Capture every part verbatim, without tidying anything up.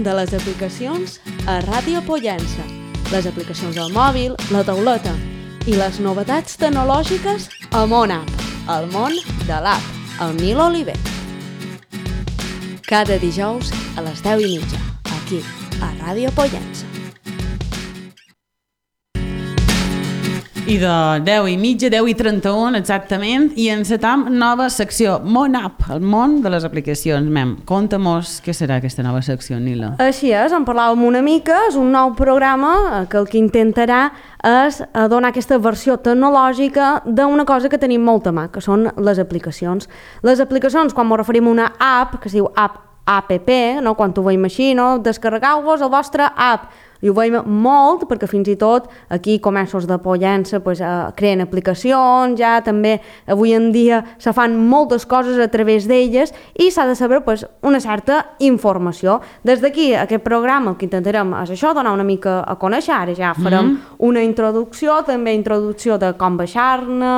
De les aplicacions a Ràdio Pollença, les aplicacions del mòbil, la tauleta i les novetats tecnològiques a Món App, el món de l'app, el Nil Oliver. Cada dijous a les deu i mitja, aquí, a Ràdio Pollença. I de deu i mitja, deu i trenta-un exactament, i encetam nova secció, Món App, el món de les aplicacions. Mem, conta-mos què serà aquesta nova secció, Nila. Així és, en parlàvem una mica, és un nou programa que el que intentarà és donar aquesta versió tecnològica d'una cosa que tenim molt a mà, que són les aplicacions. Les aplicacions, quan ens referim a una app, que es diu app, app, no? Quan ho veiem així, no? Descarregueu-vos el vostre app. I ho veiem molt, perquè fins i tot aquí comerços de Pollença pues, eh, creen aplicacions, ja també avui en dia se fan moltes coses a través d'elles i s'ha de saber pues, una certa informació. Des d'aquí, aquest programa el que intentarem és això, donar una mica a conèixer, ara ja farem mm-hmm. una introducció, també introducció de com baixar-ne,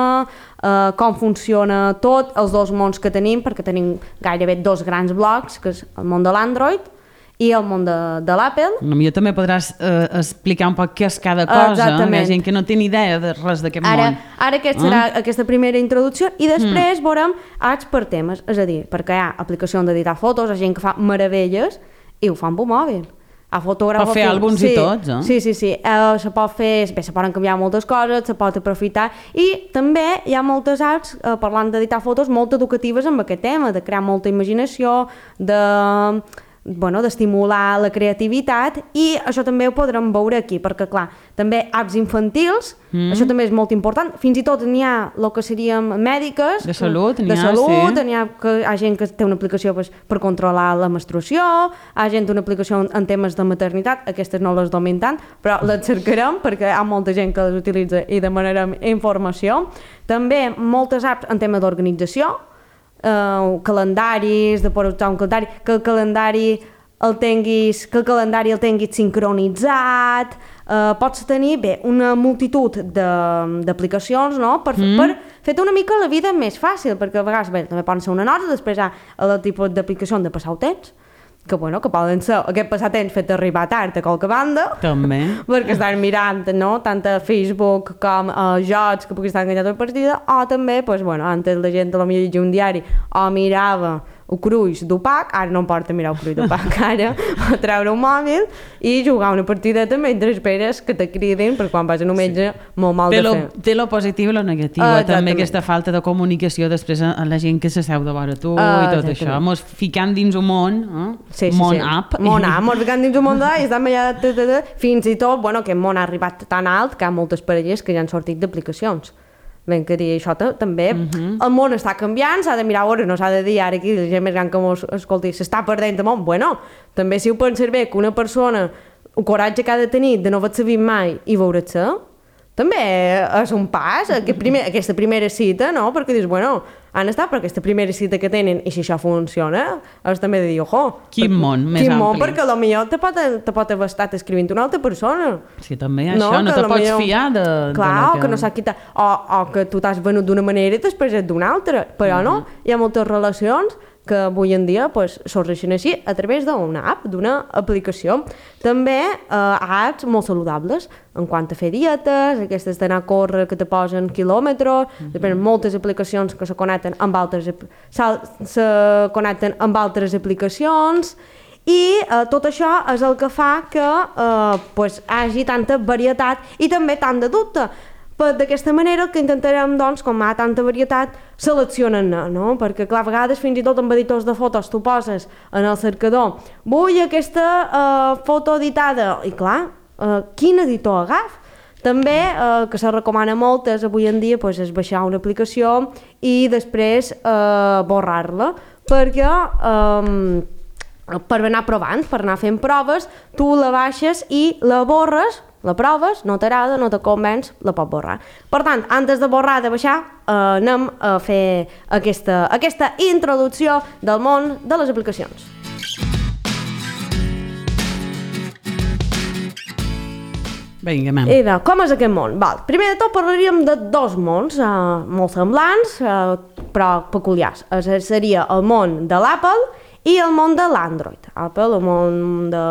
eh, com funciona tot, els dos mons que tenim, perquè tenim gairebé dos grans blocs, que és el món de l'Android i el món de, de l'Apple. Potser també podràs eh, explicar un poc què és cada cosa. Exactament. Hi ha gent que no té ni idea de res d'aquest ara, món. Ara aquesta serà eh? aquesta primera introducció i després mm. veurem apps per temes, és a dir, perquè hi ha aplicacions d'editar fotos, hi ha gent que fa meravelles i ho fa amb un mòbil. A fotògraf, per fer àlbums sí, i tots, eh? Sí, sí, sí. Uh, se pot fer, bé, se poden canviar moltes coses, se pot aprofitar i també hi ha moltes apps, uh, parlant d'editar fotos, molt educatives amb aquest tema, de crear molta imaginació, de... bueno, d'estimular la creativitat i això també ho podrem veure aquí perquè clar, també apps infantils mm. això també és molt important, fins i tot n'hi ha el que seríem mèdiques de salut, de salut, sí. N'hi ha, que, hi ha gent que té una aplicació pues, per controlar la menstruació, hi ha gent una aplicació en temes de maternitat, aquestes no les dominem tant, però les cercarem perquè hi ha molta gent que les utilitza i demanarem informació. També moltes apps en tema d'organització, Uh, calendaris, de poder usar un calendari, que el calendari el tinguis, que el calendari el tinguis sincronitzat, uh, pots tenir bé, una multitud d'aplicacions no? per, mm. per fer-te una mica la vida més fàcil, perquè a vegades bé, també poden ser una nota, després hi ha el tipus d'aplicació de passar el temps, que, bueno, que poden ser aquest passatemps fet arribar tard a qualque banda també perquè estan mirant no? tant a Facebook com a jocs que puguis estar enganyat a la partida o també, pues, bueno, antes la gent potser llegia un diari o mirava el cruix d'Opac, ara no em porta mirar el cruix d'Opac, ara a treure un mòbil i jugar una partideta mentre esperes que te cridin, perquè quan vas a un metge sí. molt mal té de lo, fer. Té lo positiu i lo negatiu, uh, també aquesta falta de comunicació després a la gent que s'asseu de vora tu uh, i tot això, mos ficant dins un món, eh? sí, sí, món sí. app. Món app, mos ficant dins un món d'app i estem allà, fins i tot, bueno, aquest món ha arribat tan alt que hi ha moltes parelles que ja han sortit d'aplicacions. Ben que dir, això també, uh-huh. el món està canviant, s'ha de mirar a veure, no s'ha de dir ara aquí, la gent més gran que mos escolti, s'està perdent el món. Bueno, també si ho penses bé que una persona, el coratge que ha de tenir de no haver-se vist mai i veure-se, també és un pas, aquest primer, aquesta primera cita, no? Perquè dius, bueno, han estat per aquesta primera cita que tenen i si això funciona, és també de dir, ojo, quin món més quin ampli. Món, perquè potser te pot, te pot haver estat escrivint una altra persona. Sí, també això, no, no te pots millor... fiar de... Clar, de o que no s'ha quitat, o, o que tu t'has venut d'una manera i després és d'una altra, però uh-huh. no, hi ha moltes relacions que avui en dia pues, sorgeixen així a través d'una app, d'una aplicació. També eh, apps molt saludables en quant a fer dietes, aquestes d'anar a córrer que te posen quilòmetres, mm-hmm. després moltes aplicacions que se connecten amb altres, se connecten amb altres aplicacions i eh, tot això és el que fa que eh, pues, hagi tanta varietat i també tant de dubte. D'aquesta manera el que intentarem, doncs, com hi ha tanta varietat, seleccionar-ne, no? Perquè, clar, a vegades fins i tot amb editors de fotos tu poses en el cercador vull aquesta uh, foto editada i, clar, uh, quin editor agaf? També, eh, que se recomana moltes avui en dia, pues, és baixar una aplicació i després eh, borrar-la, perquè eh, per anar provant, per anar fent proves, tu la baixes i la borres, la proves, no t'agrada, no te convenç, la pots borrar. Per tant, antes de borrar, de baixar, eh, anem a fer aquesta, aquesta introducció del món de les aplicacions. Vinga, mem. I de com és aquest món? Val. Primer de tot parlaríem de dos mons eh, molt semblants, eh, però peculiars. Eh, seria el món de l'Apple i el món de l'Android. Apple, el món de,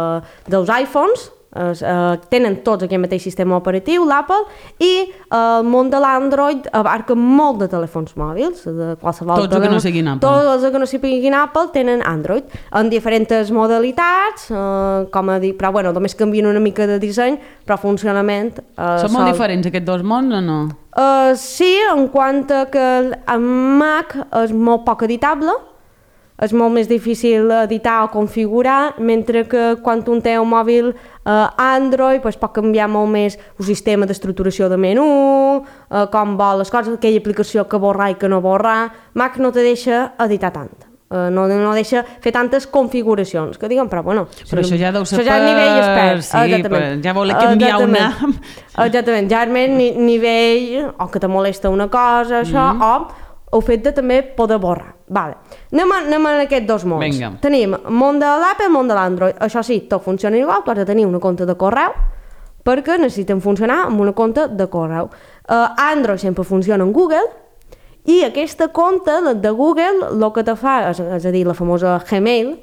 dels iPhones, es, eh, tenen tots aquest mateix sistema operatiu, l'Apple, i eh, el món de l'Android abarca molt de telèfons mòbils, de qualsevol tots els que no siguin Apple. Tots els que no siguin Apple tenen Android, en diferents modalitats, eh, com a dir, però bueno, només canvien una mica de disseny, però funcionament... Eh, Són molt diferents aquests dos mons o no? Uh, sí, en quant a que el Mac és molt poc editable, és molt més difícil editar o configurar, mentre que quan un té un mòbil eh, Android pues, pot canviar molt més el sistema d'estructuració de menú, eh, com vol les coses, aquella aplicació que borrar i que no borrar. Mac no te deixa editar tant, eh, no, no deixa fer tantes configuracions, que diguen, però bueno... Però això ja deu ser per... ja nivell expert, sí, per... ja voler canviar una... Exactament, ja és més nivell, o que te molesta una cosa, això, mm -hmm. o el fet de també poder borrar. Vale. Anem, a, anem a aquests dos mons. Vinga. Tenim el món de l'Apple i el món de l'Android. Això sí, tot funciona igual, tu has de tenir una compte de correu perquè necessiten funcionar amb una compte de correu. Uh, Android sempre funciona en Google i aquesta compte de Google el que te fa, és, és a dir, la famosa Gmail,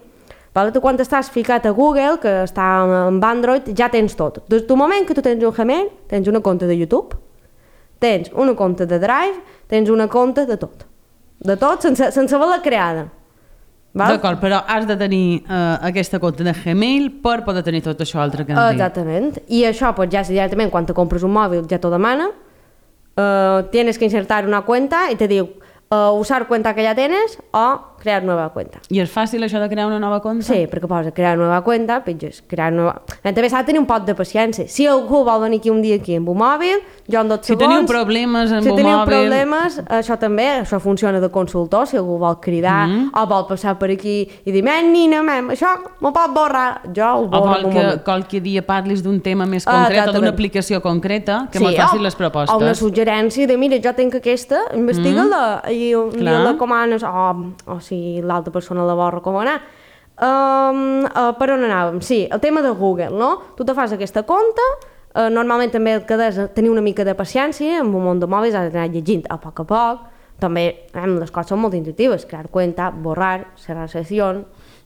vale? Tu quan estàs ficat a Google, que està amb Android, ja tens tot. Des del moment que tu tens un Gmail, tens una compte de YouTube, tens una compte de Drive, tens una compte de tot. De tot, sense, sense haver-la creada. D'acord, però has de tenir uh, aquesta compte de Gmail per poder tenir tot això altre que has dit. Exactament. I això, pues, ja directament, quan te compres un mòbil, ja t'ho demana. Uh, tienes que insertar una cuenta i te diu uh, usar cuenta que ja tienes o crear nueva cuenta. I és fàcil això de crear una nova compte? Sí, perquè posa crear nova cuenta, pitges, crear nova... També s'ha de tenir un pot de paciència. Si algú vol venir aquí un dia aquí amb un mòbil, jo en dos si segons... teniu problemes amb si un teniu mòbil... problemes, això també, això funciona de consultor, si algú vol cridar mm -hmm. o vol passar per aquí i dir, men, nina, men, això m'ho pot borrar, jo ho borro en un moment. O vol que qualque dia parlis d'un tema més concret ah, o d'una aplicació concreta, que sí, me facis les propostes. O una suggerència de, mira, jo tinc aquesta, investiga-la, mm. i, i la comanes, o, o si l'altra persona la vol recomanar. Um, uh, per on anàvem? Sí, el tema de Google, no? Tu te fas aquesta compte, uh, normalment també el que has de tenir una mica de paciència, amb un món de mòbils has d'anar llegint a poc a poc, també eh, les coses són molt intuitives, crear cuenta, borrar, cerrar sessió,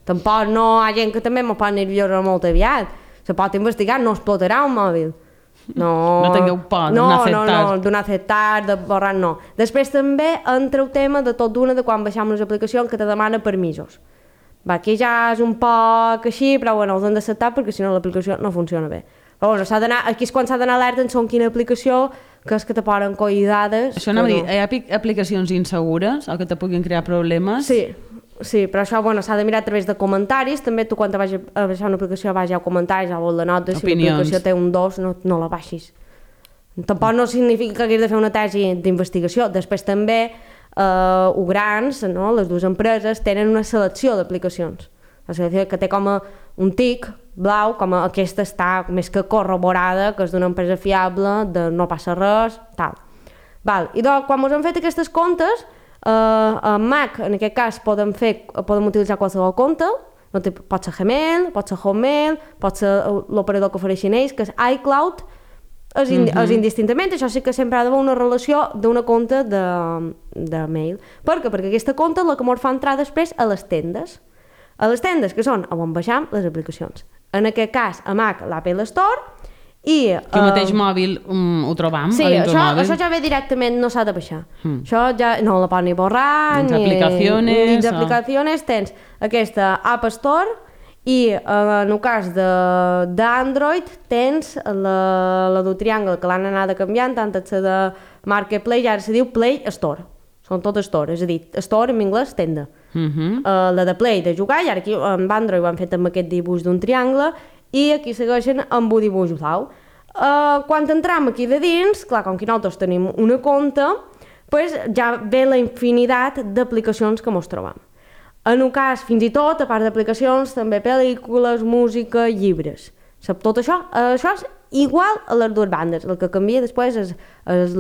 tampoc no hi ha gent que també m'ho pot nerviosa molt aviat, se pot investigar, no explotarà un mòbil. No, no tingueu por no, d'anar a acceptar. No, no, d'anar a acceptar, de borrar, no. Després també entra el tema de tot d'una de quan baixem les aplicacions que te demana permisos. Va, aquí ja és un poc així, però bueno, els hem d'acceptar perquè si no l'aplicació no funciona bé. Però bueno, s'ha d'anar, aquí és quan s'ha d'anar alerta en són quina aplicació, que és que te poden coir dades. Això no, no. Dir, hi ha aplicacions insegures o que te puguin crear problemes? Sí, sí, però això bueno, s'ha de mirar a través de comentaris, també tu quan te vagis a baixar una aplicació vagis a comentaris, a vol de notes, si l'aplicació té un dos no, no la baixis. Tampoc no significa que haguis de fer una tesi d'investigació. Després també eh, o grans, no? Les dues empreses tenen una selecció d'aplicacions. La selecció que té com a un tic blau, com a aquesta està més que corroborada, que és d'una empresa fiable, de no passa res, tal. Val. I doncs, quan ens hem fet aquestes comptes, Uh, a Mac, en aquest cas, podem, fer, podem utilitzar qualsevol compte, no té, pot ser Gmail, pot ser Hotmail, pot ser l'operador que ofereixen ells, que és iCloud, és, indi mm -hmm. és indistintament, això sí que sempre ha d'haver una relació d'una compte de, de mail. Per què? Perquè aquesta compte és la que ens fa entrar després a les tendes. A les tendes, que són on baixam les aplicacions. En aquest cas, a Mac, l'Apple Store, i que el mateix uh, mòbil um, ho trobam sí, això, això ja ve directament, no s'ha de baixar hmm. això ja no la pot ni borrar dins ni aplicaciones dins aplicaciones o... tens aquesta App Store i uh, en el cas d'Android tens la, la del triangle que l'han anat canviant tant la de Marketplace i ara se diu Play Store, són tot Store, és a dir, Store en anglès tenda uh -huh. uh, la de Play de jugar i ara aquí amb Android ho han fet amb aquest dibuix d'un triangle i aquí segueixen amb un dibuix blau. Uh, quan entrem aquí de dins, clar, com que nosaltres tenim una compte, pues ja ve la infinitat d'aplicacions que mos trobam. En un cas, fins i tot, a part d'aplicacions, també pel·lícules, música, llibres. Sap, tot això, uh, això és igual a les dues bandes. El que canvia després és, és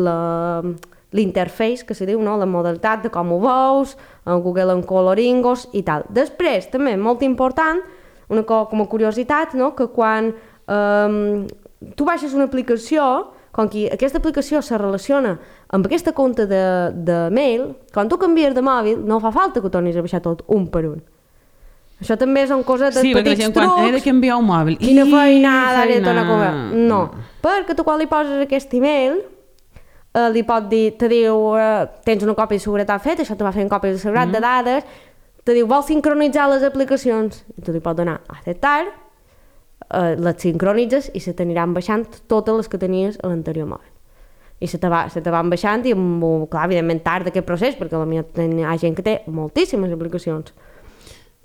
l'interface, que se diu, no? La modalitat de com ho veus, en Google en coloringos i tal. Després, també, molt important, una cosa com a curiositat, no? Que quan um, tu baixes una aplicació, com que aquesta aplicació se relaciona amb aquesta compte de, de mail, quan tu canvies de mòbil no fa falta que ho tornis a baixar tot un per un. Això també són coses de sí, petits gent, trucs. Quan he de canviar un mòbil. Quina feinada, ara he de tornar a feina. comprar. No, perquè tu quan li poses aquest email, eh, li pot dir, te diu, eh, tens una còpia de seguretat feta, això te va fer una còpia de seguretat mm. de dades, te diu, vols sincronitzar les aplicacions? I tu li pots donar a acceptar, eh, les sincronitzes i se t'aniran baixant totes les que tenies a l'anterior mòbil. I se te, va, se te van baixant i, amb, clar, evidentment, tard d'aquest procés, perquè potser hi ha gent que té moltíssimes aplicacions.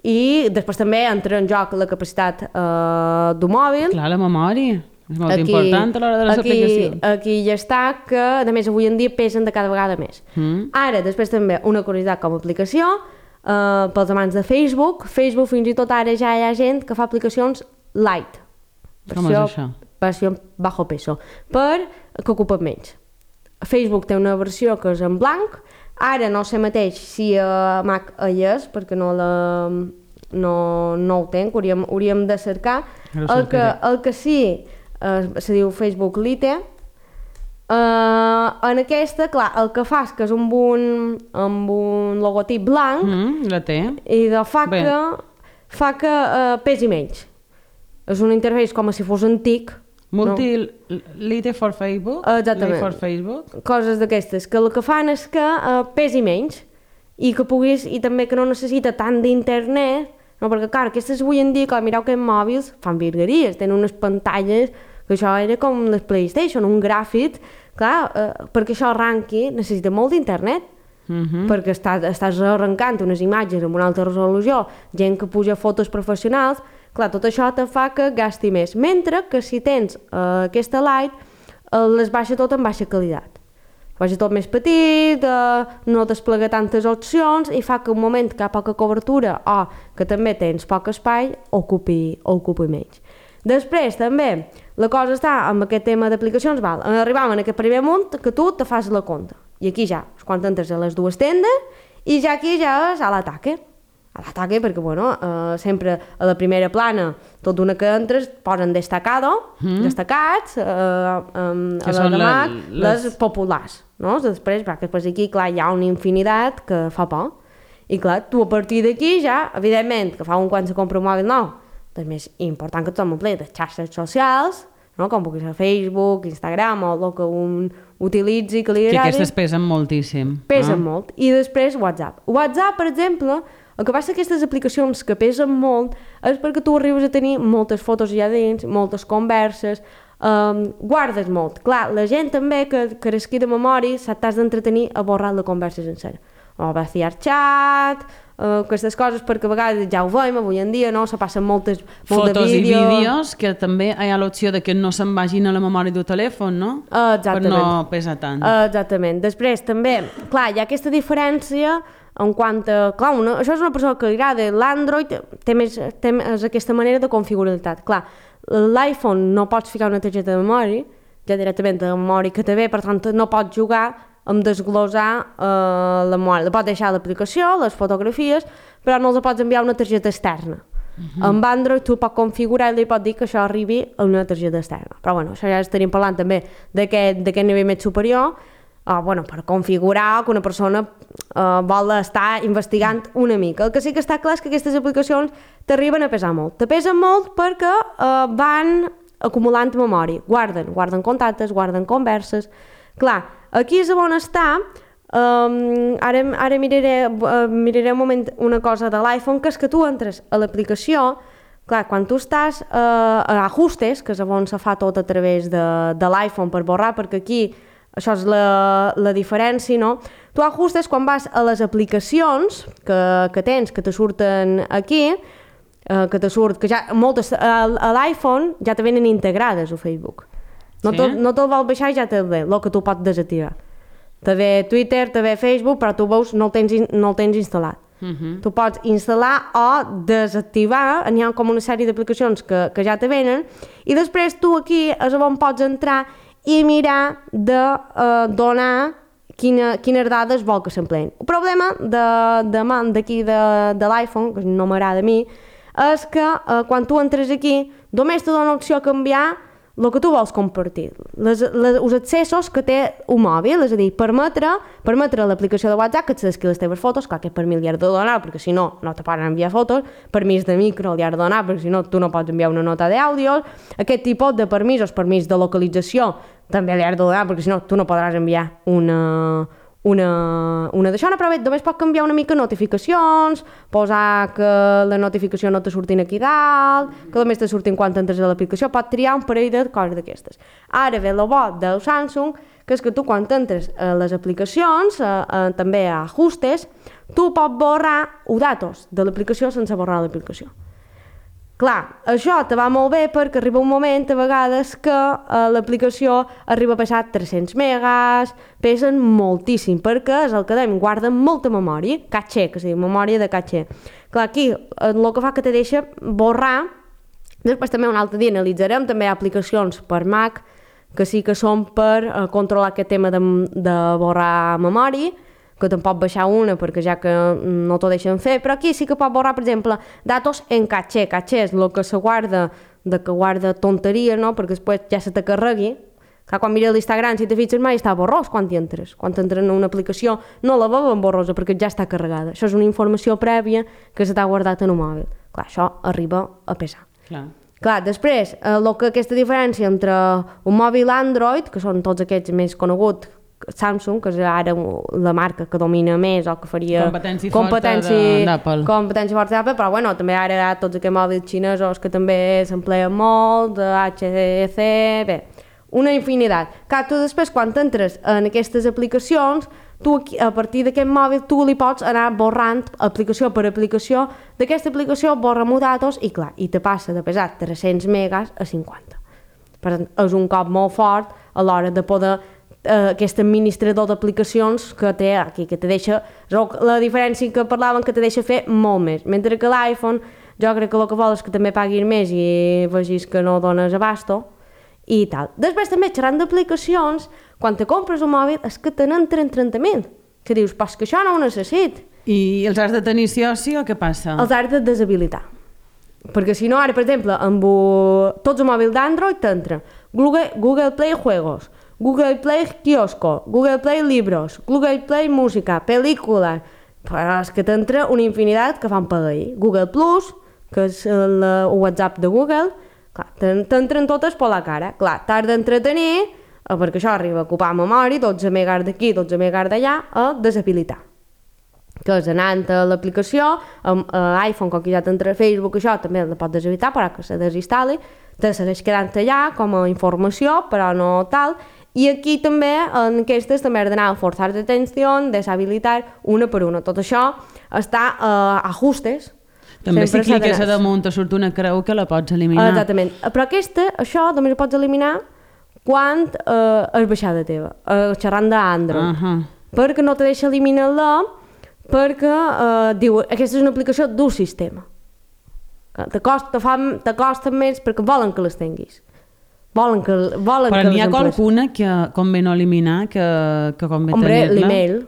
I després també entra en joc la capacitat eh, d'un mòbil. Clar, la memòria. És molt aquí, important a l'hora de les aquí, aplicacions. Aquí ja està, que a més avui en dia pesen de cada vegada més. Mm. Ara, després també, una curiositat com a aplicació, eh, pels amants de Facebook, Facebook fins i tot ara ja hi ha gent que fa aplicacions light. Com és això? Versió bajo peso, per que ocupen menys. Facebook té una versió que és en blanc, ara no sé mateix si a Mac hi és, perquè no, la, no, no ho tenc, hauríem, hauríem de cercar. El que, el que sí, eh, se diu Facebook Lite, eh, en aquesta, clar, el que fa és que és amb un, amb un logotip blanc, mm, la té. I de fa Bé. que, fa que eh, pesi menys. És un interfeix com si fos antic. Multi-lite no? for Facebook? Exactament. For Facebook? Coses d'aquestes, que el que fan és que uh, pesi menys i que puguis, i també que no necessita tant d'internet, no? Perquè clar, aquestes avui en dia, clar, mireu que en mòbils fan virgueries, tenen unes pantalles que això era com les PlayStation, un gràfic, clar, uh, perquè això arranqui necessita molt d'internet. Uh-huh. Perquè estàs, estàs arrencant unes imatges amb una alta resolució, gent que puja fotos professionals, clar, tot això te fa que gasti més, mentre que si tens uh, aquesta light, uh, les baixa tot en baixa qualitat. Baixa tot més petit, uh, no desplega tantes opcions i fa que un moment que hi ha poca cobertura o que també tens poc espai, ocupi, ocupi menys. Després, també, la cosa està amb aquest tema d'aplicacions, val, arribam en aquest primer munt que tu te fas la compte. I aquí ja, quan entres a les dues tendes, i ja aquí ja és a l'ataque. A l'ataque, perquè, bueno, eh, sempre a la primera plana, tot d'una que entres, posen destacado, mm. destacats, eh, eh, a la de Mac, les... les populars, no? Després, va, que després aquí, clar, hi ha una infinitat que fa por. I, clar, tu a partir d'aquí ja, evidentment, que fa un quan se compra un mòbil nou, és més important que tothom omple de xarxes socials, no? Com pugui ser Facebook, Instagram o el que un utilitzi, que li agradi. Que aquestes pesen moltíssim. Pesen no? molt. I després WhatsApp. WhatsApp, per exemple, el que passa aquestes aplicacions que pesen molt és perquè tu arribes a tenir moltes fotos allà dins, moltes converses, um, guardes molt. Clar, la gent també que, que resqui de memòria t'has d'entretenir a borrar la conversa sencera. O vaciar xat, uh, aquestes coses, perquè a vegades ja ho veiem avui en dia, no? Se passen moltes molt fotos de vídeo. i vídeos, que també hi ha l'opció de que no se'n vagin a la memòria del telèfon, no? Uh, exactament. Per no pesar tant. Uh, exactament. Després, també, clar, hi ha aquesta diferència en quant a... Clar, una, això és una persona que li agrada. L'Android té més, té més aquesta manera de configurabilitat. Clar, l'iPhone no pots ficar una targeta de memòria, ja directament de la memòria que té bé, per tant no pots jugar amb desglosar eh, la memòria. La pots deixar a l'aplicació, les fotografies, però no els pots enviar una targeta externa. Uh-huh. Amb Android tu pots configurar i li pots dir que això arribi a una targeta externa. Però bueno, això ja estaríem parlant també d'aquest nivell més superior, uh, bueno, per configurar que una persona uh, vol estar investigant una mica. El que sí que està clar és que aquestes aplicacions t'arriben a pesar molt. Te pesen molt perquè uh, van acumulant memòria. Guarden, guarden contactes, guarden converses. Clar, aquí és on està. Um, ara ara miraré, uh, miraré un moment una cosa de l'iPhone, que és que tu entres a l'aplicació, clar, quan tu estàs uh, a ajustes, que és on se fa tot a través de, de l'iPhone per borrar, perquè aquí això és la, la diferència, no? Tu ajustes quan vas a les aplicacions que, que tens, que te surten aquí, uh, que te surt, que ja moltes a, a l'iPhone ja te venen integrades a Facebook. No, sí? No te'l vol baixar i ja te'l ve, el que tu pots desactivar. Te ve Twitter, te ve Facebook, però tu veus no el tens, no el tens instal·lat. Uh-huh. Tu pots instal·lar o desactivar, n'hi ha com una sèrie d'aplicacions que, que ja te venen, i després tu aquí és on pots entrar i mirar de uh, donar quina, quines dades vol que s'empleen. El problema d'aquí de, de, de l'iPhone, que no m'agrada a mi, és que uh, quan tu entres aquí només te dona opció a canviar el que tu vols compartir, les, les, els accessos que té un mòbil, és a dir, permetre, permetre a l'aplicació de WhatsApp que et desqui les teves fotos, clar, que per mi li has de donar, perquè si no, no te poden enviar fotos, permís de micro li has de donar, perquè si no, tu no pots enviar una nota d'àudio, aquest tipus de permisos, permís de localització, també li has de donar, perquè si no, tu no podràs enviar una... una, una d'això, però bé, només pot canviar una mica notificacions, posar que la notificació no te surtin aquí dalt, que només te surtin quan entres a l'aplicació, pot triar un parell de coses d'aquestes. Ara ve el bo del Samsung, que és que tu quan entres a les aplicacions, a, a, també a ajustes, tu pots borrar els datos de l'aplicació sense borrar l'aplicació. Clar, això te va molt bé perquè arriba un moment a vegades que eh, l'aplicació arriba a pesar tres-cents megas, pesen moltíssim perquè és el que dèiem, guarden molta memòria, caché, que es diu, memòria de caché. Clar, aquí el que fa que te deixa borrar, després també un altre dia analitzarem, també hi ha aplicacions per Mac que sí que són per eh, controlar aquest tema de, de borrar memòria, que te'n pot baixar una perquè ja que no t'ho deixen fer, però aquí sí que pot borrar, per exemple, datos en caché. Caché és el que se guarda, de que guarda tonteria, no? Perquè després ja se te carregui. Clar, quan mires l'Instagram, si te fixes mai, està borrós quan hi entres. Quan entres en una aplicació no la veuen borrosa perquè ja està carregada. Això és una informació prèvia que se t'ha guardat en un mòbil. Clar, això arriba a pesar. Clar. Clar, després, el que aquesta diferència entre un mòbil Android, que són tots aquests més coneguts, Samsung, que és ara la marca que domina més o que faria competència, competència d'Apple, competència forta d'Apple, però bueno, també ara hi ha tots aquests mòbils xinesos que també s'empleen molt, de H T C, bé, una infinitat. Clar, tu després quan entres en aquestes aplicacions, tu a partir d'aquest mòbil tu li pots anar borrant aplicació per aplicació, d'aquesta aplicació borra-m'ho datos i clar, i te passa de pesar tres-cents megas a cinquanta. Per tant, és un cop molt fort a l'hora de poder Uh, aquest administrador d'aplicacions que té aquí, que te deixa, la diferència que parlaven que te deixa fer molt més, mentre que l'iPhone jo crec que el que vol és que també paguin més i vegis que no dones abasto i tal. Després també xerrant d'aplicacions, quan te compres un mòbil és que te n'entren trenta mil, que dius, però és que això no ho necessit. I els has de tenir sí o sí o què passa? Els has de deshabilitar. Perquè si no, ara, per exemple, amb tots els mòbils d'Android t'entra Google, Google Play Juegos, Google Play Kiosco, Google Play Libros, Google Play Música, pel·lícules, però és que t'entra una infinitat que fan pagar. Google Plus, que és el WhatsApp de Google, clar, t'entren totes per la cara. Clar, t'has d'entretenir, perquè això arriba a ocupar memòria, dotze megas d'aquí, dotze megas d'allà, a deshabilitar. Que és anant a l'aplicació, a iPhone, com que ja t'entra a Facebook, això també la pots deshabilitar, però que se desinstal·li, te segueix quedant allà com a informació, però no tal. I aquí també, en aquestes, també has d'anar a forçar d'atenció, deshabilitar una per una. Tot això està a uh, ajustes. També si cliques a damunt te surt una creu que la pots eliminar. Exactament. Però aquesta, això només ho pots eliminar quan uh, és baixada teva, uh, xerrant d'Android. Uh -huh. Perquè no te deixa eliminar-la, perquè uh, diu, aquesta és una aplicació d'un sistema. Te costa, te costa més perquè volen que les tinguis. Volen que, volen però que n'hi ha qualcuna que convé no eliminar, que, que convé tenir-la? Hombre, l'email.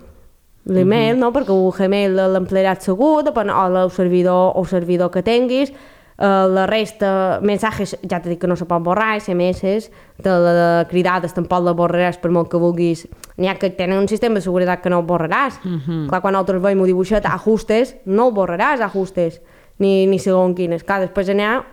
L'email, uh -huh. no? Perquè el Gmail l'emplearàs segur, depèn, o el servidor, o el servidor que tinguis. Uh, la resta, mensajes, ja t'he dit que no se pot borrar, S M S, de, de cridades tampoc la borraràs per molt que vulguis. N'hi ha que tenen un sistema de seguretat que no el borraràs. Uh -huh. Clar, quan nosaltres veiem un dibuixet, ajustes, no el borraràs, ajustes, ni, ni segons quines. Clar, després n'hi ha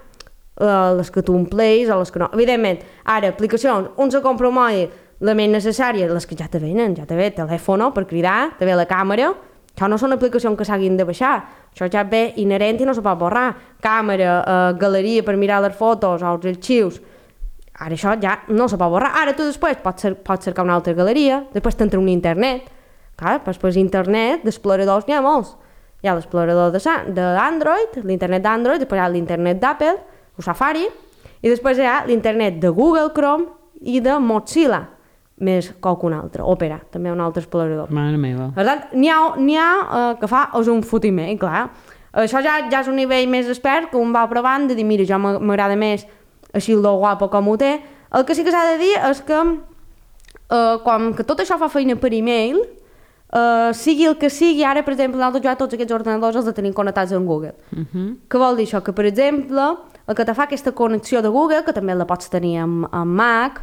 Uh, les que tu ompleis o les que no. Evidentment, ara, aplicacions, un se compra un mòbil, la més necessària, les que ja te venen, ja te ve telèfon per cridar, te ve la càmera, això no són aplicacions que s'hagin de baixar, això ja ve inherent i no se pot borrar. Càmera, uh, galeria per mirar les fotos o els arxius, ara això ja no se pot borrar. Ara tu després pots, cer pots cercar una altra galeria, després t'entra un internet, clar, després internet, d'exploradors n'hi ha molts. Hi ha l'explorador d'Android, l'internet d'Android, després hi ha l'internet d'Apple, o Safari, i després hi ha l'internet de Google Chrome i de Mozilla, més qualcun altre, Opera, també un altre explorador. Mare meva. Per tant, n'hi ha, n'hi ha uh, que fa és un fotiment, clar. Això ja, ja és un nivell més expert, que un va provant de dir, mira, jo m'agrada més així el guapo com ho té. El que sí que s'ha de dir és que uh, com que tot això fa feina per e-mail, Uh, sigui el que sigui, ara, per exemple, nosaltres ja tots aquests ordenadors els de tenim connectats amb Google. Uh -huh. Què vol dir això? Que, per exemple, el que te fa aquesta connexió de Google, que també la pots tenir amb, amb Mac,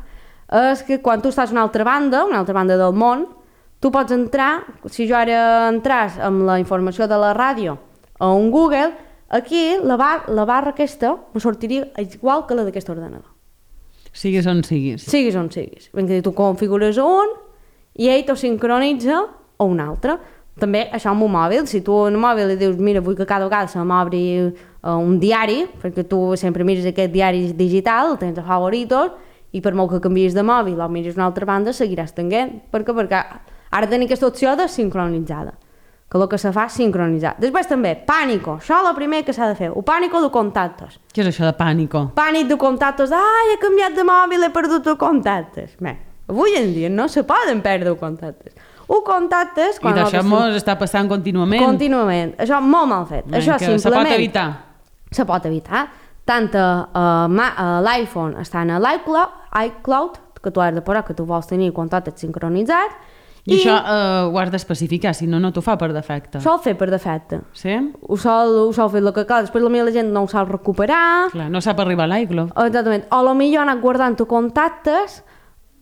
és que quan tu estàs a una altra banda, una altra banda del món, tu pots entrar, si jo ara entràs amb la informació de la ràdio a un Google, aquí la, bar, la barra aquesta me sortiria igual que la d'aquest ordenador. Siguis on siguis. Siguis on siguis. Ben que tu configures un i ell t'ho sincronitza a un altre. També això amb un mòbil, si tu en un mòbil li dius mira, vull que cada vegada se m'obri uh, un diari, perquè tu sempre mires aquest diari digital, el tens a favoritos, i per molt que canviïs de mòbil o miris una altra banda, seguiràs tenint. Per què? Perquè ara tenim aquesta opció de sincronitzada, que el que se fa és sincronitzar. Després també, pànico, això és el primer que s'ha de fer, o pànico de contactes. Què és això de pànico? Pànic de contactes, ai, he canviat de mòbil, he perdut els contactes. Bé, avui en dia no se poden perdre contactes. Un contactes... I d'això mos està passant contínuament. Contínuament. Això molt mal fet. Ben, això simplement... Se pot evitar. Se pot evitar. Tant a, a, a l'iPhone estan a l'iCloud, iCloud, que tu has de posar que tu vols tenir contactes sincronitzats. I, I això eh, ho has d'especificar, si no, no t'ho fa per defecte. Sol fer per defecte. Sí? Ho sol, ho sol fer el que cal. Després la gent no ho sap recuperar. Clar, no sap arribar a l'iCloud. Exactament. O potser anar guardant contactes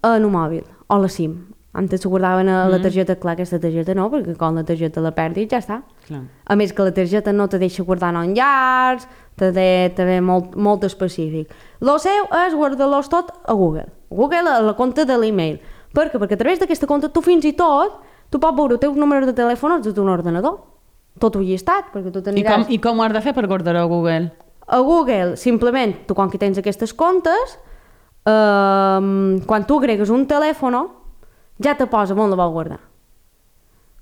en un mòbil, o la SIM. Antes s'ho guardaven a la targeta, clar, aquesta targeta no, perquè quan la targeta la perdis ja està. Clar. A més que la targeta no te deixa guardar en llars, te ve, te ve molt, molt específic. Lo seu és guardar-los tot a Google. Google a la compte de l'email. Per què? Perquè a través d'aquesta compte tu fins i tot tu pots veure els teus números de telèfon des d'un ordenador. Tot ho llistat, perquè tu t'aniràs... I com, I com ho has de fer per guardar a Google? A Google, simplement, tu quan que tens aquestes comptes, eh, quan tu agregues un telèfon, ja te posa on la vol guardar.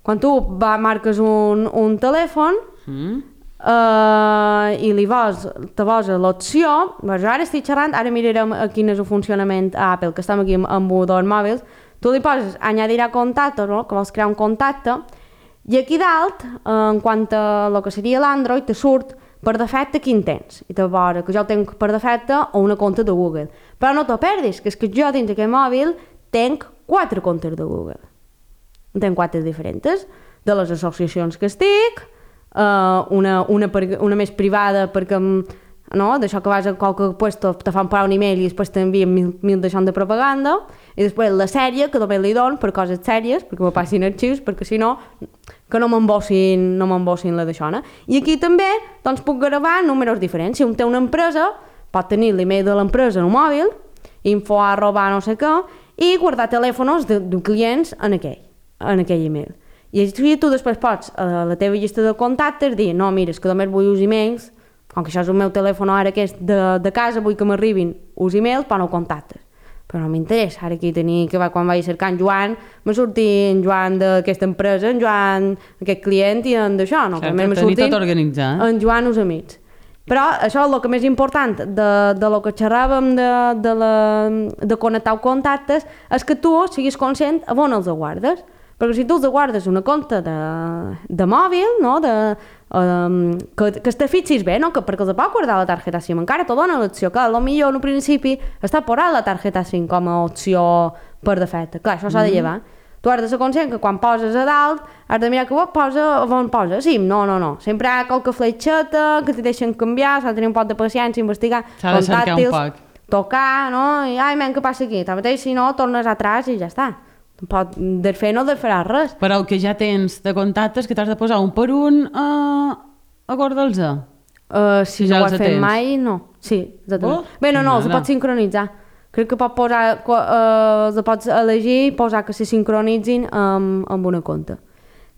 Quan tu va, marques un, un telèfon mm. uh, i li vols, te posa l'opció, ara estic xerrant, ara mirarem quin és el funcionament a Apple, que estem aquí amb, amb dos mòbils, tu li poses añadir a contacte, no? Que vols crear un contacte, i aquí dalt, en quant a el que seria l'Android, te surt per defecte quin tens, i te posa que jo tenc per defecte o una compte de Google. Però no t'ho perdis, que és que jo dins d'aquest mòbil tenc quatre comptes de Google. Tenc quatre diferents, de les associacions que estic, uh, una, una, per, una més privada perquè, no, d'això que vas a qualque puesto te fan parar un email i després t'envien mil, mil d'això de propaganda, i després la sèrie, que només li dono per coses sèries, perquè me passin arxius, perquè si no, que no m'embossin no m'embossin la d'això. No? I aquí també doncs, puc gravar números diferents. Si un té una empresa, pot tenir l'email de l'empresa en un mòbil, info arroba no sé què, i guardar telèfons de, de clients en aquell, en aquell email. I així tu després pots a la teva llista de contactes dir, no, mira, és que només vull uns emails, com que això és el meu telèfon ara que és de, de casa, vull que m'arribin uns emails, però no contactes. Però no m'interessa, ara aquí tenir que va, quan vaig cercar en Joan, me surti en Joan d'aquesta empresa, en Joan aquest client i en d'això, no? Clar, per tenir tot organitzat. En Joan els amics. Però això és el que més important de, de lo que xerràvem de, de, la, de connectar contactes és que tu siguis conscient a on els guardes. Perquè si tu els guardes una compte de, de mòbil, no? de, um, que, que te fixis bé, no? que, perquè els pot guardar la targeta SIM, encara te dona l'opció, que potser en un principi està posant la targeta SIM com a opció per defecte. Clar, això s'ha de llevar. Tu has de ser conscient que quan poses a dalt has de mirar que posa, on posa SIM. No, no, no. Sempre hi ha qualque fletxeta que t'hi deixen canviar, s'ha de tenir un poc de paciència, investigar, s'ha de cercar un poc. Tocar, no? I, ai, men, què passa aquí? Tanmateix, si no, tornes atràs i ja està. Pot desfer no desfaràs res. Però el que ja tens de contactes que t'has de posar un per un uh, a guardar-los. Uh, si, si ja no ho has fet mai, no. Sí, exactament. Oh, bé, no, no, els pots sincronitzar. Crec que pot posar, uh, els pots elegir i posar que se sincronitzin amb, amb una compte.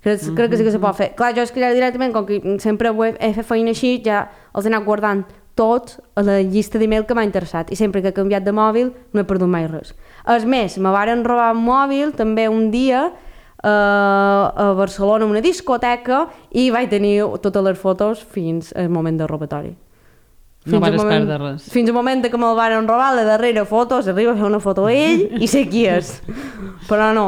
Crec, mm-hmm. crec que sí que se pot fer. Clar, jo és que ja directament, com que sempre he, he fet feina així, ja els he anat guardant tots a la llista d'email que m'ha interessat. I sempre que he canviat de mòbil no he perdut mai res. És més, me varen robar un mòbil també un dia uh, a Barcelona, una discoteca, i vaig tenir totes les fotos fins al moment del robatori. No vares perdre res. Fins al moment que me'l van robar, la darrera foto, s'arriba a fer una foto a ell i sé qui és. Però no,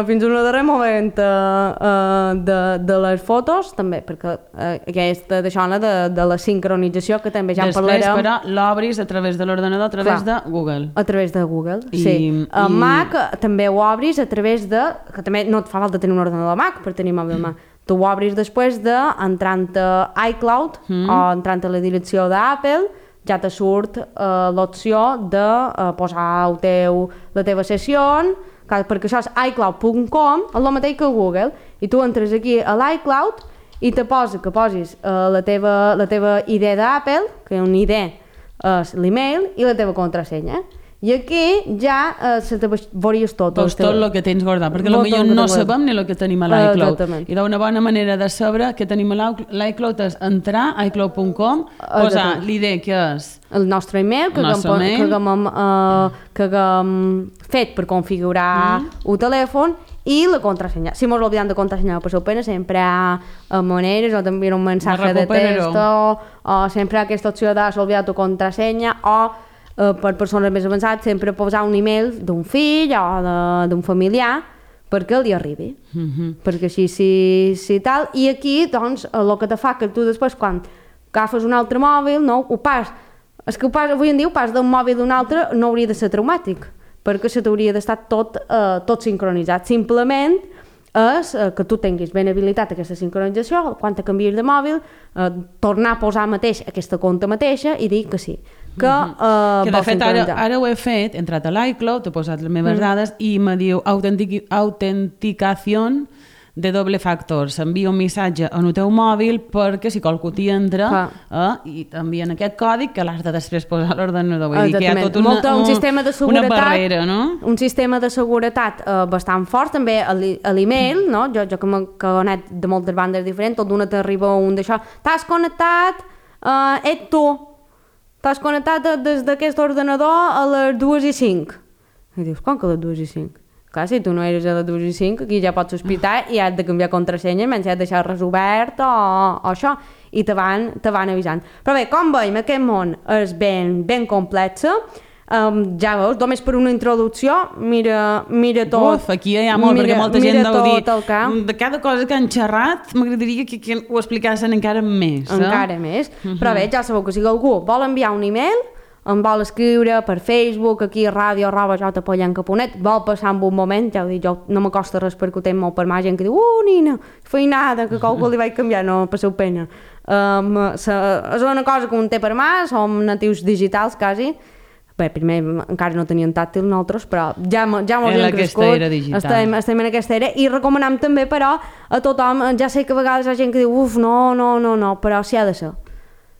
fins al darrer moment uh, uh, de, de les fotos, també, perquè uh, aquesta d'això, de, de la sincronització, que també ja en parlarem. Després, però, l'obris a través de l'ordenador, a través Clar, de Google. A través de Google, I, sí. A i... Mac també ho obris a través de... que també no et fa falta tenir un ordenador Mac per tenir mòbil Mac. Tu ho obris després de, entrant a iCloud mm. o entrant a la direcció d'Apple, ja te surt uh, l'opció de uh, posar el teu, la teva sessió, perquè això és i cloud punt com, és el mateix que Google, i tu entres aquí a l'iCloud i te posa que posis uh, la, teva, la teva I D d'Apple, que una I D és l'email, i la teva contrasenya. I aquí ja uh, se te veuries tot. Veus tot el que tens guardat, perquè potser no sabem ni el que tenim a l'iCloud. I d'una bona manera de saber què tenim a l'iCloud és entrar a i cloud punt com, posar l'I D que és... El nostre email, que haguem uh, fet per configurar mm. el telèfon, i la contrasenya. Si mos l'oblidem de contrasenyar, passeu pena, sempre hi ha maneres, o t'envien un missatge de texto, o sempre hi ha aquesta opció de s'ha oblidat tu contrasenya, o Uh, per persones més avançades, sempre posar un email d'un fill o d'un familiar perquè li arribi. Mm-hmm. Perquè així, si, si tal... I aquí, doncs, el que te fa que tu després, quan agafes un altre mòbil, no, ho pas... És que ho pas, avui en dia, ho pas d'un mòbil d'un altre no hauria de ser traumàtic, perquè se t'hauria d'estar tot, uh, tot sincronitzat. Simplement és uh, que tu tinguis ben habilitat aquesta sincronització, quan te canvies de mòbil, uh, tornar a posar mateix aquesta compte mateixa i dir que sí. Que, uh, que de fet ara, ara ho he fet, he entrat a l'iCloud, he posat les meves mm. dades i me diu autentic autenticació de doble factor. S'envia un missatge en el teu mòbil perquè si qualcú t'hi entra eh, i t'envien aquest còdic que l'has de després posar a l'ordenador. Vull dir que hi ha tot una, Molta, un sistema de seguretat, una barrera, no? Un sistema de seguretat uh, bastant fort, també a l'email, no? Jo, jo que m'he connectat de moltes bandes diferents, tot d'una t'arriba un d'això, t'has connectat, uh, ets tu, t'has connectat des d'aquest ordenador a les dues i cinc. I dius, com que a les dues i cinc? Clar, si tu no eres a les dues i cinc, aquí ja pots sospitar i has de canviar contrasenya, menys has de deixar res obert o, o això, i te van, te van avisant. Però bé, com veiem, aquest món és ben, ben complex. Um, ja veus, només per una introducció, mira, mira tot. Uf, aquí hi ha molt, mira, perquè molta gent deu dir, de cada cosa que han xerrat, m'agradaria que, que ho explicassin encara més. Eh? Encara més. Uh-huh. Però bé, ja sabeu que si algú vol enviar un email, em vol escriure per Facebook, aquí a ràdio arroba jota pollenca punt net, vol passar en un moment, ja ho dic, jo no m'acosta res perquè ho tenc molt per mà, gent que diu, uh, nina, feinada, que qualcú li vaig canviar, no, passeu pena. Um, se, és una cosa que un té per mà, som natius digitals, quasi. Bé, primer encara no tenien tàctil nosaltres, però ja, ja mos hem crescut, estem, estem en aquesta era, i recomanem també, però, a tothom, ja sé que a vegades hi ha gent que diu, uf, no, no, no, no, però si ha de ser.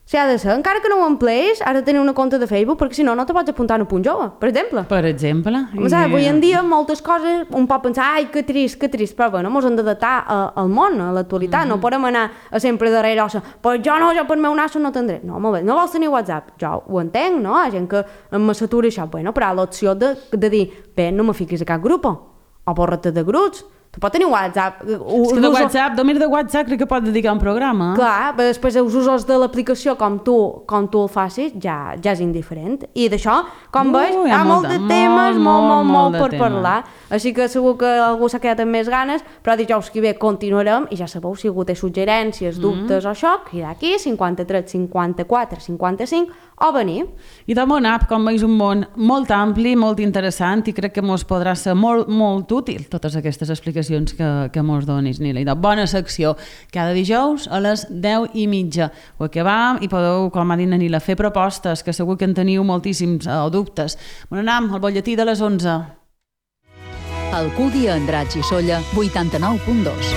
Si ha de ser, encara que no ho empleis, has de tenir una compte de Facebook, perquè si no, no te pots apuntar en un punt jove, per exemple. Per exemple. O sigui, avui en dia, moltes coses, un pot pensar, ai, que trist, que trist, però bueno, ens hem d'adaptar al món, a l'actualitat, mm-hmm. no podem anar a sempre darrere, o pues jo no, jo per meu nas no tindré. No, molt bé, no vols tenir WhatsApp? Jo ho entenc, no? Hi ha gent que em s'atura això, bueno, però l'opció de, de dir, bé, no me fiquis a cap grup, o borra't de grups. Tu pots tenir WhatsApp. És que de WhatsApp, només de WhatsApp crec que pots dedicar un programa. Clar, però després els usos de l'aplicació com tu, com tu el facis, ja, ja és indiferent. I d'això, com uh, veus, hi ha, hi ha molt de temes, molt, molt, molt, molt per tema. parlar. Així que segur que algú s'ha quedat amb més ganes, però dijous que ve continuarem, i ja sabeu, si algú té suggerències, dubtes mm. o això, cridar aquí, cinquanta-tres cinquanta-quatre cinquanta-cinc, o venir. I de Món App, com veus, un món molt ampli, molt interessant, i crec que mos podrà ser molt, molt útil totes aquestes explicacions que, que mos donis, Nila. I de bona secció, cada dijous a les deu i mitja. Ho acabam i podeu, com ha dit Nila, fer propostes, que segur que en teniu moltíssims o dubtes. Bon anam, al butlletí de les onze. Alcúdia, Andratx i Solla, vuitanta-nou punt dos.